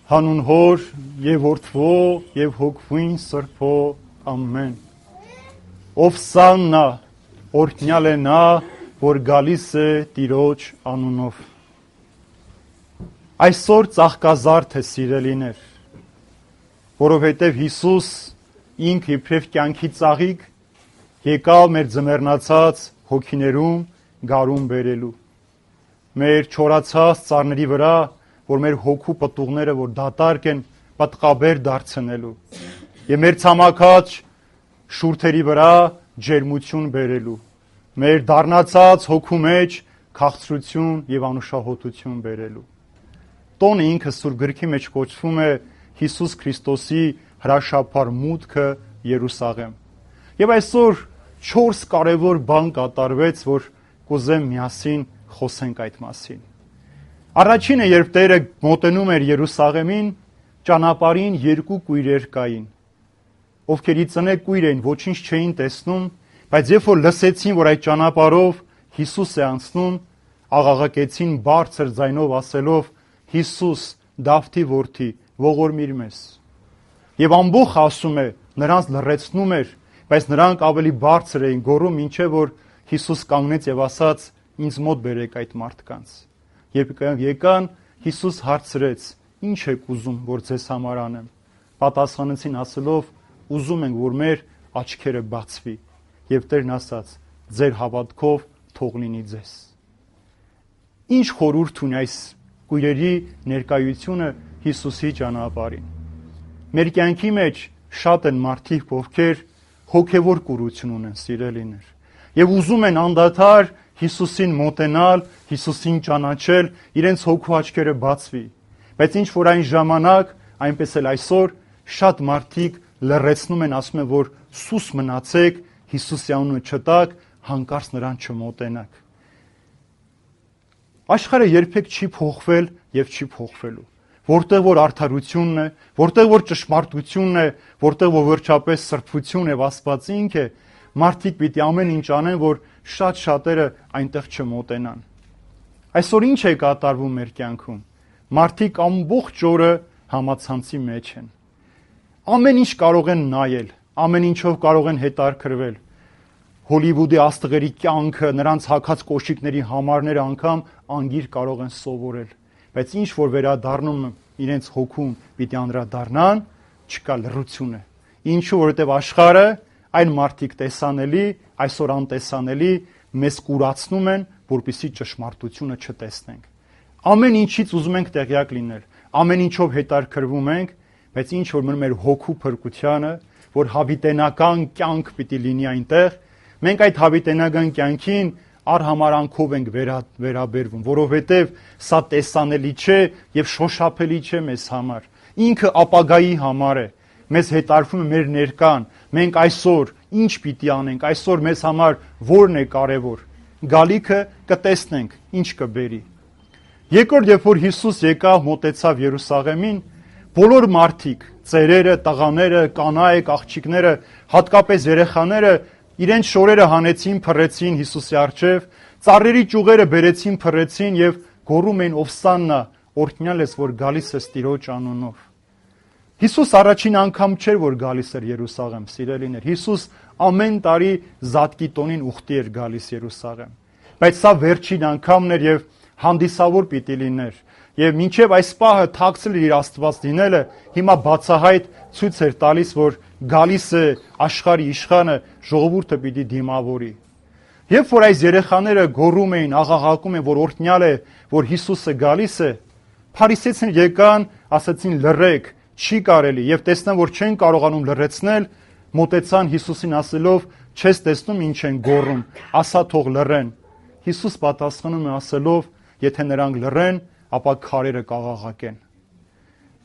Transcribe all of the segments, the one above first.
Հանուն Հոր եւ Որդվո եւ Հոգվին Սրբո ամեն։ Ովսաննա, օրհնյալ է նա, որ գալիս է Տիրոջ անունով։ Այսօր ծաղկազարդ է, սիրելիներ, որովհետև Հիսուս ինք իբրև կյանքի ծաղիկ եկավ մեր ձմեռնացած հոգիներում գարուն բերելու։ Մեր չորացած ծառների վրա, որ մեր հոգու պտուղները, որ դատարկ են, պատղաբեր դարձնելու եւ մեր ցամաքած շուրթերի վրա ջերմություն բերելու, մեր դառնացած հոգու մեջ քաղցրություն եւ անուշահոտություն բերելու։ Տոնը ինքը Սուրբ Գրքի մեջ կոչվում է Հիսուս Քրիստոսի հրաշափառ մուտքը Երուսաղեմ։ Եվ այսօր 4 կարևոր բան կատարվեց, որ կուզեմ միասին խոսենք այդ մասին։ Առաջինը, երբ Տերը մոտենում էր Երուսաղեմին, ճանապարհին 2 կույրեր կային, ովքեր ի ծնե կույր էին, ոչինչ չէին տեսնում, բայց երբ որ լսեցին, որ այդ ճանապարհով Հիսուս է անցնում, աղաղակեցին բարձր ձայնով ասելով. Հիսուս, Դավթի որդի, ողորմիր մեզ։ Եվ ամբողջ ասում է, նրանց լռեցնում էր, բայց նրանք ավելի բարձր էին գոռում, ինչեւ որ Հիսուս կանգնեց եւ ասաց. ինձ մոտ բերեք այդ մարդկանց։ Երբ եկան, Հիսուս հարցրեց. ինչ եք ուզում, որ ձեզ համար անեմ։ Պատասխանեցին ասելով. ուզում ենք, որ մեր աչքերը բացվի։ Եվ Տերն ասաց. ձեր հավատքով թող լինի ձեզ։ Ինչ խորհուրդ ունի այս կույրերի ներկայությունը Հիսուսի ճանապարհին։ Մեր կյանքի մեջ շատ են մարդիկ, ովքեր հոգևոր կուրություն ունեն, սիրելիներ, եւ ուզում են անդադար Հիսուսին մոտենալ, Հիսուսին ճանաչել, իրենց հոգու աչքերը բացվի։ Բայց ինչ որ այն ժամանակ, այնպես էլ այսօր շատ մարդիկ լռեցնում են, ասում են, որ սուս մնացեք, Հիսուսի անունը չտաք, հանկարծ նրան չմոտենաք։ Աշխարհը երբեք չի փոխվել եւ չի փոխվելու։ Որտեղ որ արդարությունն է, որտեղ որ ճշմարտությունն է, որտեղ որ վերջապես սրբություն եւ Աստված ինք է, մարդիկ պիտի ամեն ինչ անեն, որ շատ-շատերը այնտեղ չմոտենան։ Այսօր ինչ է կատարվում մեր կյանքում։ Մարդիկ ամբողջ օրը համացանցի մեջ են։ Ամեն ինչ կարող են նայել, ամեն ինչով կարող են հետաքրքրվել։ Հոլիվուդի աստղերի կյանքը, նրանց հագած կոշիկների համարները անգամ անգիր կարող են սովորել, բայց ինչ որ վերադառնում իրենց հոգում պիտի անդրադառնան, չկա լռություն է։ Ինչու, որովհետև աշխարհը, այն մարդիկ տեսանելի, այսօր անտեսանելի, մեզ կուրացնում են, որպեսզի ճշմարտությունը չտեսնենք։ Ամեն ինչից ուզում ենք տեղյակ լինել, ամեն ինչով հետաքրքրվում ենք, բայց ինչ որ մնում մեր հոգու փրկությանը, որ հավիտենական կյանք պիտի լինի այնտեղ, մենք այդ հավիտենական կյանքին արհամարանքով ենք վերաբերվում, որովհետև սա տեսանելի չէ եւ շոշափելի չէ մեզ համար։ Ինքը ապագայի համար է։ Մեզ հետարվում է մեր ներկան, մենք այսօր ինչ պիտի անենք, այսօր մեզ համար որն է կարևոր։ Գալիքը կտեսնենք, ինչ կբերի։ Երկրորդ, երբ որ Հիսուս եկավ, մոտեցավ Երուսաղեմին, բոլոր մարդիկ, ծերերը, տղաները, կանայք, աղջիկները, հատկապես երեխաները իրենց շորերը հանեցին, փռեցին Հիսուսի առջև, ծառերի ճյուղերը բերեցին, փռեցին եւ գոռում էին Ովսաննա, օրհնյալ ես, որ գալիս ես Տիրոջ անունով։ Հիսուս առաջին անգամ չէր, որ գալիս էր Երուսաղեմ, սիրելիներ։ Հիսուս ամեն տարի Զատկի տոնին ուխտի էր գալիս Երուսաղեմ։ Բայց սա վերջին անգամն էր եւ հանդիսավոր պիտի լիներ։ Եվ մինչև այս պահը թաքցել իր Աստված լինելը, հիմա բացահայտ ցույց էր տալիս, որ գալիս է աշխարհի իշխանը, ժողովուրդը պիտի դիմավորի։ Երբ որ այս երեխաները գոռում էին, աղաղակում են, որ օրհնյալ է, որ Հիսուսը գալիս է, փարիսեցիները եկան, ասացին լռեք, չի կարելի, եւ տեսնան, որ չեն կարողանում լռեցնել, մոտեցան Հիսուսին ասելով. չես տեսնում ինչ են գոռում, ասա թող լռեն։ Հիսուս պատասխանում է ասելով. եթե նրանք լռեն, ապա քարերը կաղաղակեն։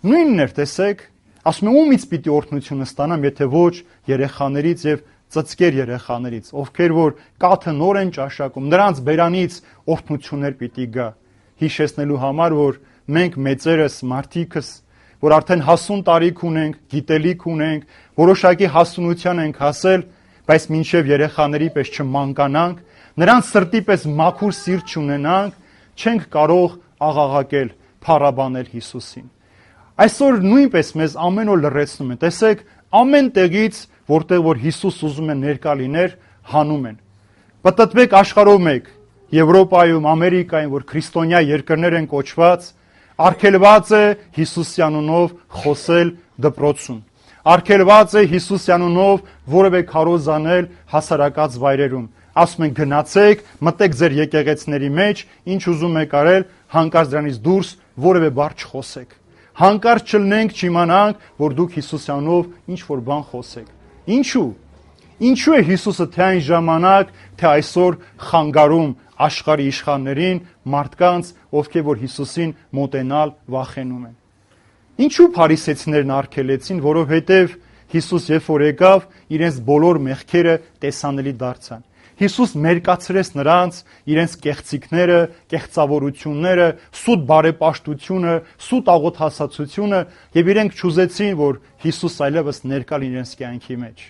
Նույնն էր, տեսեք, ասում է ումից պիտի օրհնությունը ստանամ, եթե ոչ երեխաներից եւ ծծկեր երեխաներից, ովքեր որ կաթը նոր են ճաշակում, նրանց բերանից օրհնություններ պիտի գա։ Հիշեցնելու համար, որ մենք մեծերս, մարդիկս, որ արդեն հասուն տարիք ունենք, գիտելիք ունենք, որոշակի հասունության ենք հասել, բայց մինչև երեխաների պես չմանկանանք, նրանց սրտի պես մաքուր սիրտ չունենանք, չենք կարող աղաղակել, փառաբանել Հիսուսին։ Այսօր նույնպես մեզ ամեն օր լրացնում են։ Տեսեք, ամեն տեղից, որտեղ որ Հիսուս ուզում է ներկա լիներ, հանում են։ Պտտվեք աշխարհով մեկ, Եվրոպայում, Ամերիկայում, որ քրիստոնյա երկրներ են կոչված, արգելված է Հիսուսի անունով խոսել դպրոցում։ Արգելված է Հիսուսի անունով որևէ քարոզ անել հասարակած վայրերում։ Ասում են գնացեք, մտեք ձեր եկեղեցիների մեջ, ինչ ուզում եք արել, հանկարծ դրանից դուրս որևէ բառ չխոսեք։ Հանկարծ չլնենք, չիմանանք, որ դուք Հիսուսի անունով ինչ որ բան խոսեք։ Ինչու՞։ Ինչու է Հիսուսը թե այն ժամանակ, թե այսօր խանգարում աշխարհի իշխաններին, մարդկանց, ովքեր որ Հիսուսին մոտենալ վախենում են։ Ինչու փարիսեցիներն արգելեցին, որովհետև Հիսուս երբ որ եկավ, իրենց բոլոր մեղքերը տեսանելի դարձան։ Հիսուս մերկացրեց նրանց իրենց կեղծիքները, կեղծավորությունները, սուտ բարեպաշտությունը, սուտ աղոթասացությունը եւ իրենք չուզեցին, որ Հիսուս այլևս ներկա լինի իրենց կյանքի մեջ։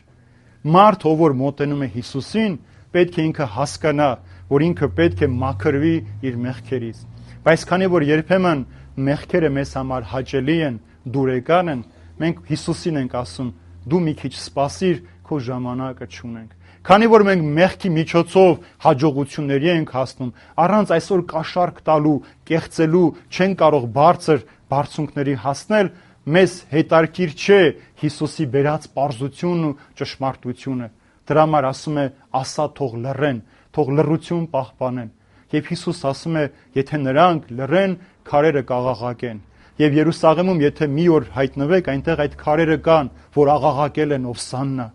Մարդ, ով որ մոտենում է Հիսուսին, պետք է ինքը հասկանա, որ ինքը պետք է մաքրվի իր մեղքերից։ Բայց քանի որ երբեմն մեղքերը մեզ համար հաճելի են, դուրեկան են, մենք Հիսուսին ենք ասում. դու մի քիչ սպասիր, քո ժամանակը չունենք։ Քանի որ մենք մեղքի միջոցով հաջողությունների ենք հասնում, առանց այսօր կաշառք տալու, կեղծելու, չեն կարող բարձր բարձունքների հասնել, մեզ հետարքիր չէ Հիսուսի բերած պարզությունն ու ճշմարտությունը։ Դրա համար ասում է, ասա թող լռեն, թող լռություն պահպանեն։ Եվ Հիսուս ասում է, եթե նրանք լռեն, քարերը կաղաղակեն։ Եվ Երուսաղեմում, եթե մի օր հայտնվեք, այնտեղ այդ քարերը կան, որ աղաղակել են Ովսաննա։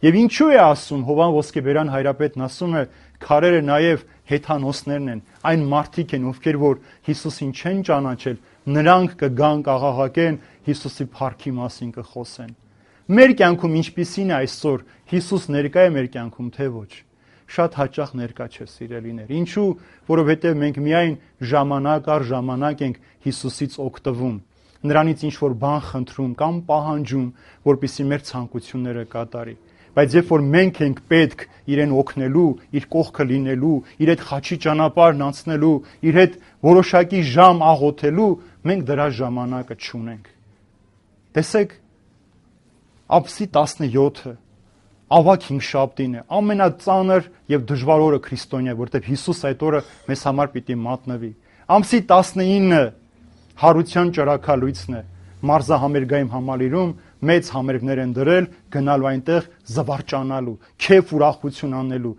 Եվ ինչու է ասում, Հովան Ոսկեբերյան հայրապետն ասում է, քարերը նաև հեթանոսներն են, այն մարդիկ են, ովքեր որ Հիսուսին չեն ճանաչել, նրանք կգան կաղաղակեն, Հիսուսի փառքի մասին կխոսեն։ Մեր կյանքում ինչպիսին է այսօր, Հիսուս ներկա է մեր կյանքում, թե ոչ։ Շատ հաճախ ներկա չէ, սիրելիներ։ Ինչու? Որովհետև մենք միայն ժամանակ առ ժամանակ ենք Հիսուսից օգտվում, նրանից ինչ որ բան խնդրում կամ պահանջում, որպեսզի մեր ցանկությունները կատարի։ Բայց երբ որ մենք ենք պետք իրեն օգնելու, իր կողքը լինելու, իր հետ խաչի ճանապարհն անցնելու, իր հետ որոշակի ժամ աղոթելու, մենք դրա ժամանակը չունենք։ Տեսեք, Աբսի 17-ը ավագ հինգշաբթին է, ամենածանր եւ դժվար օրը քրիստոնյա, որտեղ Հիսուս այդ օրը մեզ համար պիտի մատնվի։ Ամսի 19-ը հարության ճրաքալույցն է, մարզահամերգային համալիրում մեծ համերգներ են դրել, գնալու այնտեղ զվարճանալու, քեֆ ուրախություն անելու,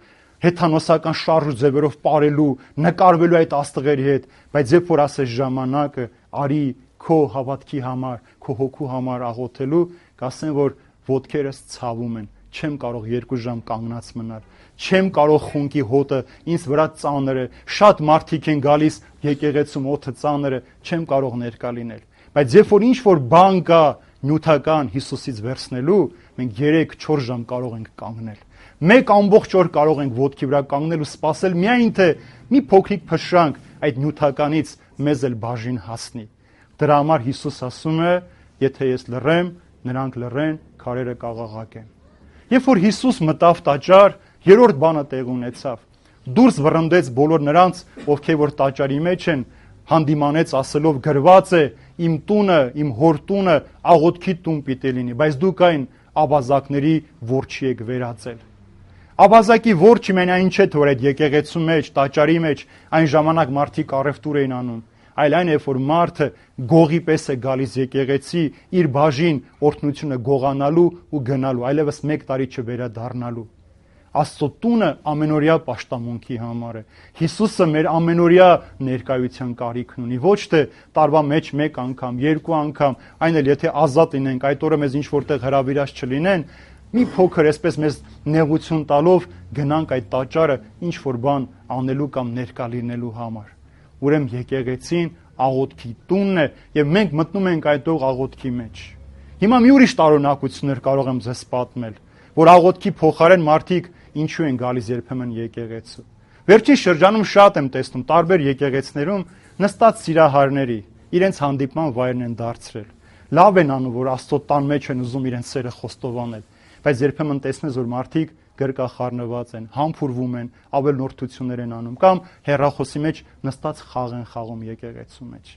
հեթանոսական շարժ ու ձևերով ապարելու, նկարվելու այդ աստղերի հետ, բայց երբ որ ասես ժամանակը արի քո հավատքի համար, քո հոգու համար աղոթելու, կասեն, որ ոտքերս ցավում են, չեմ կարող 2 ժամ կանգնած մնալ, չեմ կարող խունկի հոտը ինձ վրա ծանր է, շատ մարդիկ են գալիս եկեղեցում օդը ծանր է, չեմ կարող ներկա լինել։ Բայց երբ որ ինչ որ բան կա նյութական Հիսուսից վերցնելու, մենք 3-4 ժամ կարող ենք կանգնել։ Մեկ ամբողջ օր կարող ենք ոտքի վրա կանգնել ու սպասել միայն թե մի փոքրիկ փշրանք այդ նյութականից մեզ էլ բաժին հասնի։ Դրա համար Հիսուս ասում է, եթե ես լռեմ, նրանք լռեն, քարերը կաղաղակեն։ Երբ որ Հիսուս մտավ տաճար, երրորդ բանը տեղ ունեցավ։ Դուրս վռնդեց բոլոր նրանց, ովքեր որ տաճարի մեջ են, հանդիմանեց ասելով գրված է իմ տունը, իմ հոր տունը աղոթքի տուն պիտի լինի, բայց դուք այն աբազակների որջի եք վերածել։ Աբազակի որջը մեն այն չէ, որ այդ եկեղեցու մեջ, տաճարի մեջ այն ժամանակ մարդիկ առևտուր էին անում, այլ այն է, որ մարդը գողի պես է գալիս եկեղեցի իր բաժին օրհնությունը գողանալու ու գնալու, այլևս 1 տարի չվերադառնալու։ Աստծո տունը ամենօրյա պաշտամունքի համար է։ Հիսուսը մեր ամենօրյա ներկայության կարիքն ունի, ոչ թե տարվա մեջ 1 անգամ, 2 անգամ, այն էլ եթե ազատ լինենք, այդ օրը մեզ ինչ որտեղ հրավիրած չլինեն, մի փոքր այսպես մեզ նեղություն տալով գնանք այդ տաճարը ինչ որ բան անելու կամ ներկա լինելու համար։ Ուրեմն եկեղեցին աղոթքի տունն է եւ մենք մտնում ենք այդ աղոթքի մեջ։ Հիմա մի ուրիշ տարօրինակություններ կարող եմ ձեզ պատմել, որ աղոթքի փոխարեն մարդիկ ինչու են գալիս երբեմն եկեղեցու։ Վերջին շրջանում շատ եմ տեսնում տարբեր եկեղեցիներում նստած սիրահարների, իրենց հանդիպման վայրն են դարձրել։ Լավ են անում, որ Աստծո տան մեջ են ուզում իրենց սերը խոստովանել, բայց երբեմն տեսնես, որ մարդիկ գրկախառնված են, համբուրվում են, ավելնորդություններ են անում կամ հեռախոսի մեջ նստած խաղ են խաղում եկեղեցու մեջ։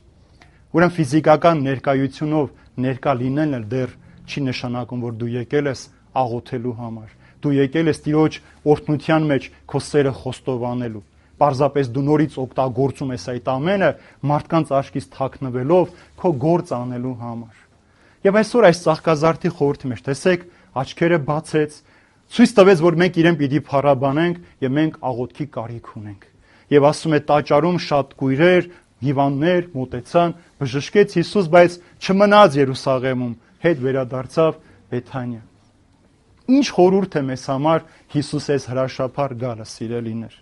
Ուրեմն ֆիզիկական ներկայությունով ներկա լինելն էլ դեռ չի նշանակում, որ դու եկել ես աղոթելու համար։ Դու եկել ես Տիրոջ օրհնության մեջ քո սերը խոստովանելու։ Պարզապես դու նորից օգտագործում ես այդ ամենը մարդկանց աչքից թաքնվելով քո գործ անելու համար։ Եվ այսօր այս ծաղկազարդի խորհրդի մեջ տեսեք, աչքերը բացեց, ցույց տվեց, որ մենք իրեն պիտի փառաբանենք եւ մենք աղոթքի կարիք ունենք։ Եվ ասում է տաճարում շատ կույրեր, հիվանդներ մոտեցան, բժշկեց Հիսուս, բայց չմնաց Երուսաղեմում, հետ վերադարձավ Բեթանիա։ Ինչ խորհուրդ է մեզ համար Հիսուս այս հրաշափառ գալը, սիրելիներ։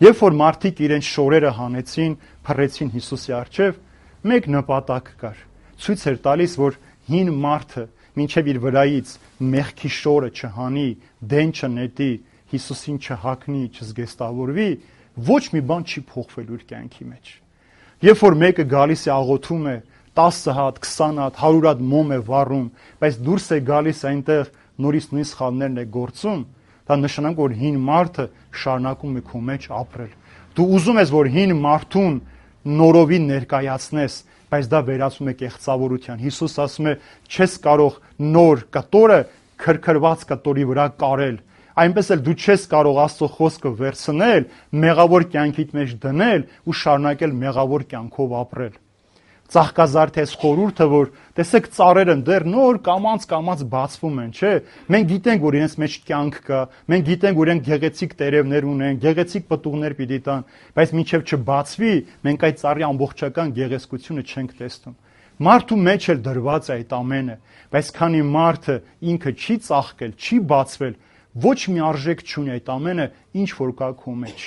Երբ որ մարդիկ իրենց շորերը հանեցին, փռեցին Հիսուսի առջև, մեկ նպատակ կար։ Ցույց էր տալիս, որ հին մարդը մինչև իր վրայից մեղքի շորը չհանի, դեն չնետի, Հիսուսին չհակնի, չզգեստավորվի, ոչ մի բան չի փոխվել իր կյանքի մեջ։ Երբ որ մեկը գալիս է աղոթում է 10 հատ, 20 հատ, 100 հատ մոմ է վառում, բայց դուրս է գալիս այնտեղ նորից նույն սխալներն է գործում, դա նշանակում որ հին մարդը շարունակում է քո մեջ ապրել։ Դու ուզում ես որ հին մարդուն նորովին ներկայացնես, բայց դա վերածում է կեղծավորության։ Հիսուս ասում է, չես կարող նոր կտորը քրքրված կտորի վրա կարել։ Այնպես էլ դու չես կարող Աստծո խոսքը վերցնել, մեղավոր կյանքիդ մեջ դնել ու շարունակել մեղավոր կյանքով ապրել։ Ծաղկազարդի այս խորհուրդը, որ տեսեք ծառերը դեռ նոր կամած բացվում են, չէ՞։ Մենք գիտենք, որ իրենց մեջ կյանք կա, մենք գիտենք, որ իրենք գեղեցիկ տերևներ ունեն, գեղեցիկ պտուղներ պիտի տան, բայց մինչև չբացվի, մենք այդ ծառի ամբողջական գեղեցկությունը չենք տեսնում։ Մարդու մեջ էլ դրված է այդ ամենը, բայց քանի մարդը ինքը չի ծաղկել, չի բացվել, ոչ մի արժեք չունի այդ ամենը, ինչ որ կա քո մեջ։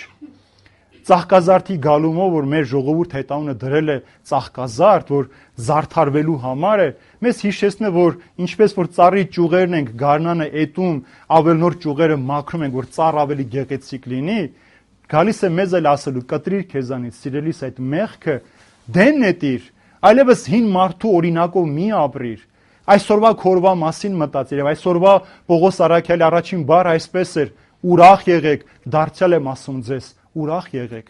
Ծաղկազարդի գալումով, որ մեր ժողովուրդը այդ անունը դրել է ծաղկազարդ, որ զարդարվելու համար է, մեզ հիշեցնում է, որ ինչպես որ ծառի ճյուղերն ենք գարնանը էտում, ավելնոր ճյուղերը մաքրում ենք, որ ծառ ավելի գեղեցիկ լինի, գալիս է մեզ էլ ասելու կտրիր քեզանից, սիրելիս այդ մեղքը դեն նետիր, այլևս հին մարդու օրինակով մի ապրիր։ Այսօրվա քորվա մասին մտածիր, եւ այսօրվա Պողոս Առաքյալի առաջին բառը այսպես էր. ուրախ եղեք, դարձյալ եմ ասում ձեզ, ուրախ եղեք։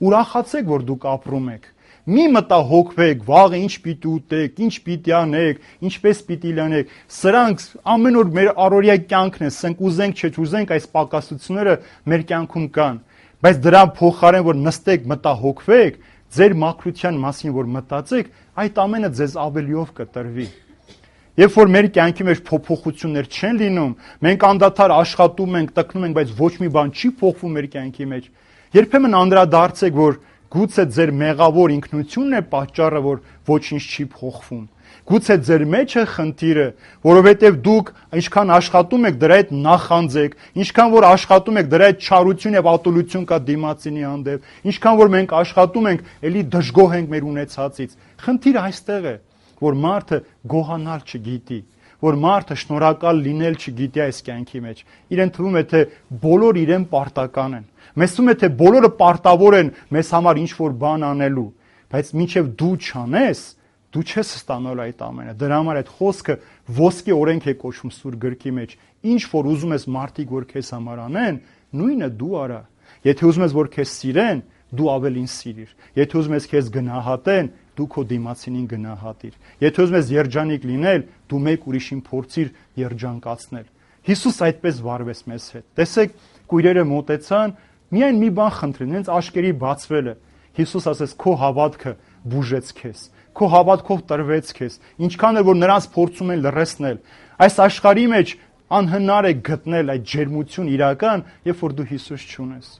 Ուրախացեք, որ դուք ապրում եք։ Մի մտահոգվեք, վաղը ինչ պիտի ուտեք, ինչ պիտի անեք, ինչպես պիտի լինեք։ Սրանք ամեն օր մեր առօրյա կյանքն է, սենք ուզենք, չուզենք, այս պակասությունները մեր կյանքում կան։ Բայց դրա փոխարեն, որ նստեք, մտահոգվեք, ձեր մաքրության մասին որ մտածեք, այդ ամենը ձեզ ավելիով կտրվի։ Երբ որ մեր կյանքի մեջ փոփոխություններ չեն լինում, մենք անդադար աշխատում ենք, տկնում ենք, բայց ոչ մի բան չի փոխվում մեր կյանքի մեջ, երբեմն անդրադարձեք, որ գուցե ձեր մեղավոր ինքնությունն է պատճառը, որ ոչինչ չի փոխվում։ Գուցե ձեր մեջ է խնդիրը, որովհետև դուք ինչքան աշխատում եք, դրա հետ նախանձեք, ինչքան որ աշխատում եք, դրա հետ չարություն եւ ատոլություն կա դիմացինի հանդեպ, ինչքան որ մենք աշխատում ենք, ելի դժգոհ ենք մեր ունեցածից։ Խնդիրը այստեղ է, որ մարդը գոհանալ չգիտի, որ մարդը շնորհակալ լինել չգիտի այս կյանքի մեջ։ Իրեն թվում է, թե բոլոր իրեն պարտական են։ Մեզ թվում է, թե բոլորը պարտավոր են մեզ համար ինչ-որ բան անելու, բայց մինչև դու չանես, դու չես ստանալ այդ ամենը։ Դրա համար այդ խոսքը ոսկե օրենք է կոչվում Սուրբ գրքի մեջ։ Ինչ որ ուզում ես մարդիկ որ քեզ համար անեն, նույնը դու արա։ Եթե ուզում ես որ քեզ սիրեն, դու ավելին սիրիր։ Եթե ուզում ես քեզ գնահատեն, դու քո դիմացինին գնահատիր։ Եթե ուզում ես երջանիկ լինել, դու մեկ ուրիշին փորձիր երջանկացնել։ Հիսուս այդպես վարվեց մեզ հետ։ Տեսեք, կույրերը մոտեցան, միայն մի բան խնդրին, հենց աշկերի բացվել է։ Հիսուս ասեց, քո հավատքը բուժեց քեզ։ Քո հավատքով տրվեց քեզ։ Ինչքան էլ որ նրանց փորձում են լռեցնել, այս աշխարհի մեջ անհնար է գտնել այդ ջերմություն իրական, երբ որ դու Հիսուս չունես։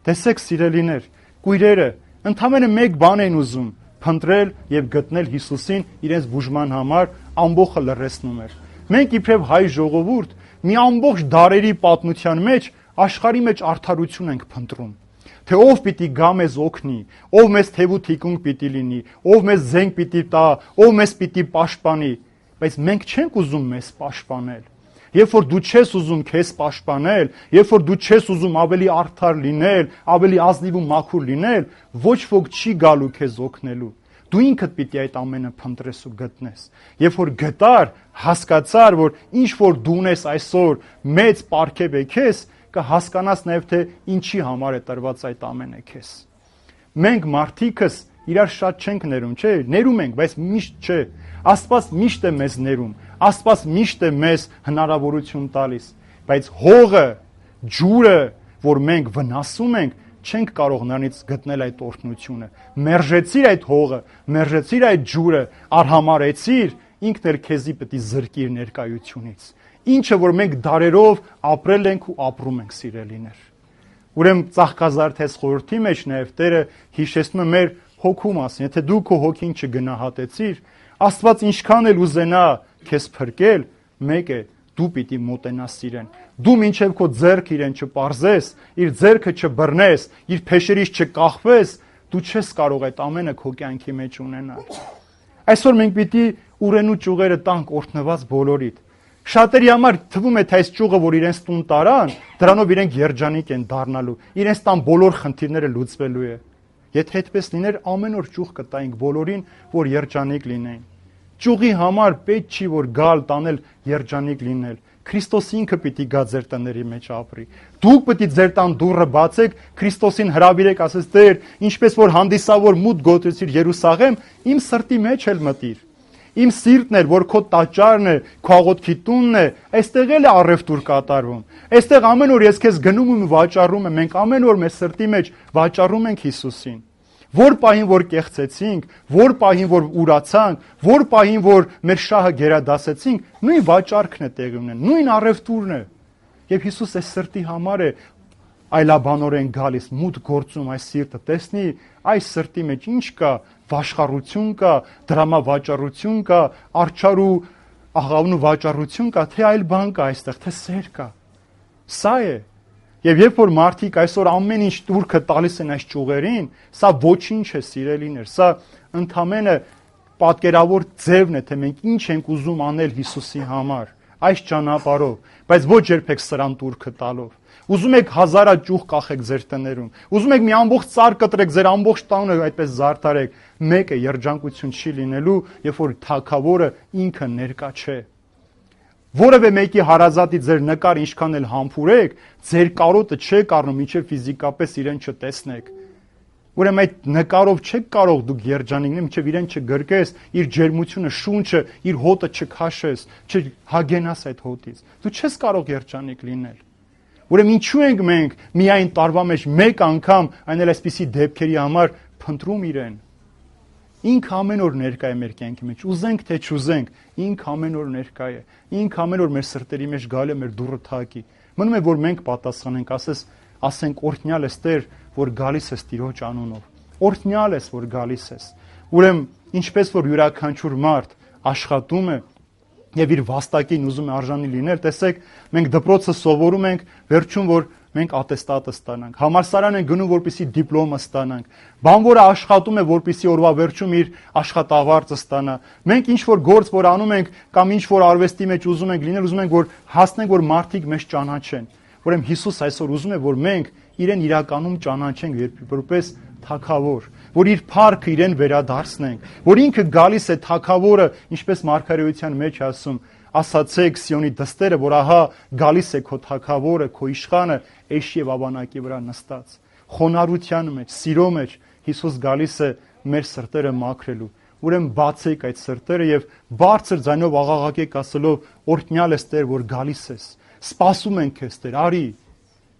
Տեսեք, սիրելիներ, կույրերը ընդամենը մեկ բան են ուզում՝ փնտրել եւ գտնել Հիսուսին իրենց բուժման համար, ամբողջը լռեցնում էր։ Մենք իբրև հայ ժողովուրդ մի ամբողջ դարերի պատմության մեջ աշխարհի մեջ արդարություն ենք փնտրում, թե ով պիտի գա մեզ օգնի, ով մեզ թևու թիկունք պիտի լինի, ով մեզ զենք պիտի տա, ով մեզ պիտի պաշտպանի, բայց մենք չենք ուզում մեզ պաշտպանել։ Երբ որ դու չես ուզում քեզ պաշտպանել, երբ որ դու չես ուզում ավելի արդար լինել, ավելի ազնիվ ու մաքուր լինել, ոչ ոք չի գալու քեզ օգնելու։ Դու ինքդ պիտի այդ ամենը փնտրես ու գտնես։ Երբ որ գտար, հասկացար, որ ինչ որ դու ունես այսօր մեծ պարգև է քեզ, կհասկանաս նաև թե ինչի համար է տրված այդ ամենը քեզ։ Մենք մարդիկս իրար շատ չենք ներում, չէ, ներում ենք, բայց միշտ չէ։ Աստված միշտ է մեզ ներում, Աստված միշտ է մեզ հնարավորություն տալիս, բայց հողը, ջուրը, որ մենք վնասում ենք, չենք կարող նրանից գտնել այդ օրհնությունը։ Մերժեցիր այդ հողը, մերժեցիր այդ ջուրը, արհամարեցիր, ինքն էլ քեզի պետք է զրկի իր ներկայությունից։ Ինչը որ մենք դարերով ապրել ենք ու ապրում ենք, սիրելիներ։ Ուրեմն ծաղկազարդես խորհրդի մեջ նաև Տերը հիշեցնում է մեր հոգու մասին։ Եթե դու քո հոգին չգնահատեցիր, Աստված ինչքան էլ ուզենա քեզ փրկել, մեկ է, դու պիտի մոտենաս իրեն։ Դու մինչև քո ձեռքը իրեն չպարզես, իր ձեռքը չբռնես, իր փեշերից չկախվես, դու չես կարող այդ ամենը քո կյանքի մեջ ունենալ։ Այսօր մենք պիտի ուրենու ճյուղերը տանք օրհնված բոլորիդ։ Շատերի համար թվում է թե այս ճյուղը, որ իրենց տուն տարան, դրանով իրենք երջանիկ են դառնալու, իրենց տան բոլոր խնդիրները լուծվելու է։ Եթե այդպես լիներ, ամեն օր ճյուղ կտայինք բոլորին, որ երջանիկ լինեին։ Ճյուղի համար պետք չի որ գալ տանել երջանիկ լինել։ Քրիստոս ինքը պիտի գա ձեր տների մեջ ապրի։ Դուք պետք է ձեր տան դուռը բացեք, Քրիստոսին հրավիրեք, ասես Տեր, ինչպես որ հանդիսավոր մուտք գոտեցիր Երուսաղեմ, իմ սրտի մեջ էլ մտիր։ Իմ սիրտն էր, որ քո տաճարն է, քո աղոթքի տունն է, այստեղ էլ է առևտուր կատարվում։ Այստեղ ամեն օր ես քեզ գնում ու վաճառում եմ, մենք ամեն օր մեր սրտի մեջ վաճառում ենք Հիսուսին։ Որ պահին որ կեղծեցինք, որ պահին որ ուրացանք, որ պահին որ մեր շահը գերադասեցինք, նույն վաճառքն է տեղի ունեն, նույն առևտուրն է։ Եվ Հիսուս այս սրտի համար է այլաբանորեն գալիս, մուտք գործում այս սիրտը, տեսնի այս սրտի մեջ ինչ կա, վաշխառություն կա, դրամավաճառություն կա, արջար ու աղավնու վաճառություն կա, թե այլ բան կա այստեղ, թե սեր կա։ Սա է։ Եվ երբ որ մարդիկ այսօր ամեն ինչ տուրքը տալիս են այս ճյուղերին, սա ոչինչ է, սիրելիներ, սա ընդամենը պատկերավոր ձևն է, թե մենք ինչ ենք ուզում անել Հիսուսի համար, այս ճանապարհով, բայց ոչ երբեք սրան տուրքը տալով։ Ուզում եք հազարա ճյուղ կախեք ձեր տներում, ուզում եք մի ամբողջ ծառ կտրեք, ձեր ամբողջ տանը այդպես զարդարեք, մեկ է երջանկություն չի լինելու, երբ որ թագավորը ինքը ներկա չէ։ Որևէ մեկի հարազատի ձեր նկար ինչքան էլ համբուրեք, ձեր կարոտը չէ կառնում, մինչև ֆիզիկապես իրեն չտեսնեք։ Ուրեմն այդ նկարով չեք կարող դուք երջանիկ լինել, մինչև իրեն չգրկես, իր ջերմությունը, շունչը, իր հոտը չքաշես, չհագենաս այդ հոտից։ Դու չես կարող երջանիկ լինել։ Ուրեմն ինչու ենք մենք միայն տարվա մեջ մեկ անգամ, այն էլ այսպիսի դեպքերի համար փնտրում իրեն։ Ինքը ամեն օր ներկա է մեր կյանքի մեջ, ուզենք թե չուզենք, ինքը ամեն օր ներկա է, ինքը ամեն օր մեր սրտերի մեջ գալու է մեր դուռը թակի։ Մնում է որ մենք պատասխանենք, ասենք օրհնյալ ես Տեր, որ գալիս ես Տիրոջ անունով։ Օրհնյալ ես, որ գալիս ես։ Ուրեմն ինչպես որ յուրաքանչյուր մարդ աշխատում է եւ իր վաստակին ուզում է արժանի լինել, տեսեք, մենք դպրոցը սովորում ենք, վերջում որ մենք ատեստատը ստանանք, համալսարան են գնում, որպեսզի դիպլոմը ստանանք, բանվորը աշխատում է, որպեսզի օրվա վերջում իր աշխատավարձը ստանա։ Մենք ինչ որ գործ որ անում ենք կամ ինչ որ արվեստի մեջ ուզում ենք լինել, ուզում ենք որ հասնենք, որ մարդիկ մեզ ճանաչեն։ Ուրեմն Հիսուս այսօր ուզում է, որ մենք իրեն իրականում ճանաչենք որպես թագավոր, որ իր փառքը իրեն վերադարձնենք, որ ինքը գալիս է թագավորը, ինչպես մարգարեության մեջ ասում, ասացեք Սիոնի դստերը, որ ահա գալիս է քո թագավորը, քո իշխանը, էշի եւ ավանակի վրա նստած։ Խոնարհության մեջ, սիրո մեջ Հիսուս գալիս է մեր սրտերը մաքրելու։ Ուրեմն բացեք այդ սրտերը եւ բարձր ձայնով աղաղակեք ասելով օրհնյալ ես Տեր, որ գալիս ես։ Սպասում ենք քեզ Տեր,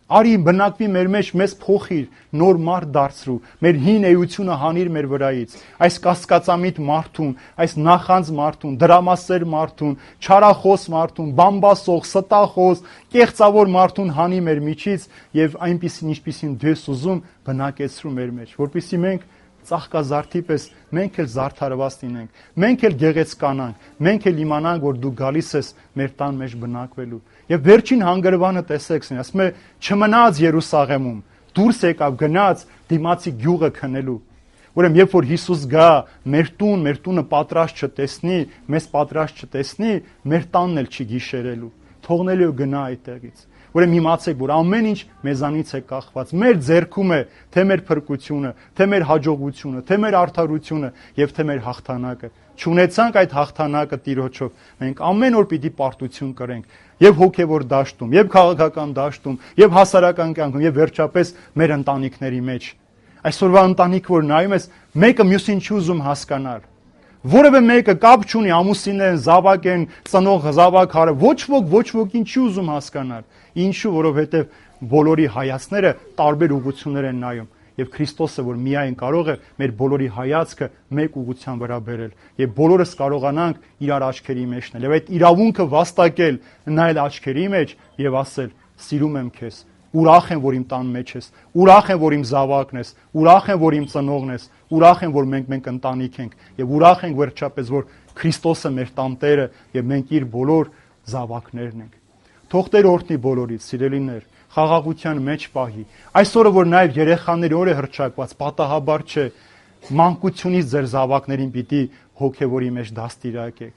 արի բնակվի մեր մեջ, մեզ փոխիր, նոր մարդ դարձրու, մեր հին էությունը հանիր մեր վրայից, այս կասկածամիտ մարդուն, այս նախանձ մարդուն, դրամասեր մարդուն, չարախոս մարդուն, բամբասող, ստախոս, կեղծավոր մարդուն հանի մեր միջից եւ այնպիսին ինչպիսին դու ես ուզում բնակեցրու մեր մեջ, որպեսզի մենք ծաղկազարդի պես մենք էլ զարդարված լինենք, մենք էլ գեղեցկանանք, մենք էլ իմանանք, որ դու գալիս ես մեր տան մեջ բնակվելու։ Եվ վերջին հանգրվանը տեսեք, ասում է, չմնաց Երուսաղեմում, դուրս եկավ, գնաց դիմացի գյուղը քնելու։ Ուրեմն երբ որ Հիսուս գա մեր տունը պատրաստ չտեսնի, մեզ պատրաստ չտեսնի, մեր տանն էլ չի գիշերելու, թողնելու գնա այդտեղից։ Ուրեմն իմացեք, որ ամեն ինչ մեզանից է կախված, մեր ձեռքում է թե մեր փրկությունը, թե մեր հաջողությունը, թե մեր արդարությունը եւ թե մեր հաղթանակը։ Չունեցանք այդ հաղթանակը Տիրոջով, մենք ամեն օր պիտի պարտություն կրենք եւ հոգեվոր դաշտում, եւ քաղաքական դաշտում, եւ հասարակական կյանքում, եւ վերջապես մեր ընտանիքների մեջ։ Այսօրվա ընտանիք որ նայում ես, մեկը մյուսին չի ուզում հասկանալ։ Որևէ մեկը կապ չունի, ամուսինն են, զավակ են, ծնող զավակարը, ոչ ոքին չի ուզում հասկանալ։ Ինչու, որովհետև բոլորի հայացքները տարբեր ուղղություններ են նայում։ Եվ Քրիստոսը, որ միայն կարող է մեր բոլորի հայացքը մեկ ուղղության վրա բերել, եւ բոլորս կարողանանք իրար աչքերի մեջ նել, եւ այդ իրավունքը վաստակել, նայել աչքերի մեջ եւ ասել. «Սիրում եմ քեզ, ուրախ եմ, որ իմ տան մեջ ես, ուրախ եմ, որ իմ զավակն ես, ուրախ եմ, որ իմ ծնողն ես, ուրախ եմ, որ մենք ընտանիք ենք, եւ ուրախ ենք վերջապես, որ Քրիստոսը մեր տանտերը եւ մենք իր բոլոր զավակներն ենք»։ Թող Տեր օրհնի բոլորից, սիրելիներ, խաղաղության մեջ պահի։ Այսօրը որ նաև երեխաների օր է հռչակված, պատահաբար չէ, մանկությունից ձեր զավակներին պիտի հոգևորի մեջ դաստիարակեք։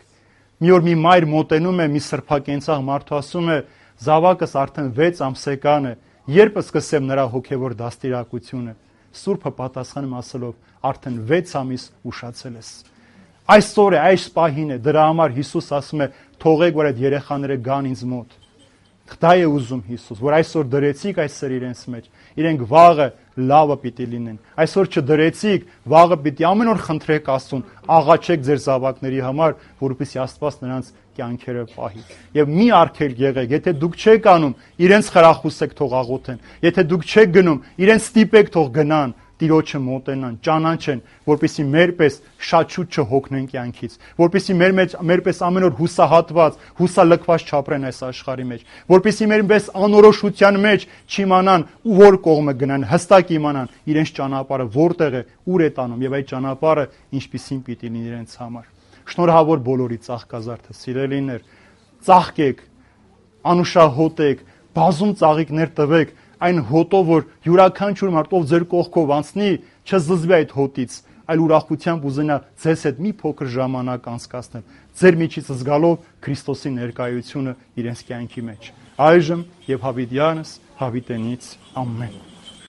Մի օր մի մայր մոտենում է, մի սրբակենցաղ մարդու ասում է. «Զավակս արդեն 6 ամսեկան է, երբ սկսեմ նրա հոգևոր դաստիարակությունը»։ Սուրբը պատասխանում ասելով. «Արդեն 6 ամիս ուշացել ես»։ Այսօր է, այս պահին է, դրա համար Հիսուս ասում է. «Թողեք, որ այդ երեխաները գան ինձ մոտ»։ Դա է ուզում Հիսուս, որ այսօր դրեցիք այս սեր իրենց մեջ, իրենք վաղը լավը պիտի լինեն։ Այսօր չդրեցիք, վաղը պիտի ամեն օր խնդրեք Աստծուն, աղաչեք ձեր զավակների համար, որպեսզի Աստված նրանց կյանքերը պահի։ Եվ մի արգելք եղեք, եթե դուք չեք անում, իրենց խրախուսեք թող աղոթեն։ Եթե դուք չեք գնում, իրենց ստիպեք թող գնան, Տիրոջը մոտենան, ճանաչեն, որպեսզի մերպես շատ շուտ չհոգնեն կյանքից, որպեսզի մերպես ամեն օր հուսահատված, հուսալքված չապրեն այս աշխարհի մեջ, որպեսզի մերպես անորոշության մեջ չիմանան ու որ կողմը գնան, հստակ իմանան իրենց ճանապարհը որտեղ է, ուր է տանում եւ այդ ճանապարհը ինչպիսին պիտի լինի իրենց համար։ Շնորհավոր բոլորի ծաղկազարդը, սիրելիներ, ծաղկեք, անուշահոտեք, բազում ծաղիկներ տվեք, այն հոտով, որ յուրաքանչյուր մարդ ով ձեր կողքով անցնի, չզզվի այդ հոտից, այլ ուրախությամբ ուզենա ձեզ հետ մի փոքր ժամանակ անցկացնել, ձեր միջից զգալով Քրիստոսի ներկայությունը իրենց կյանքի մեջ։ Այժմ եւ հավիտյանս հավիտենից ամեն։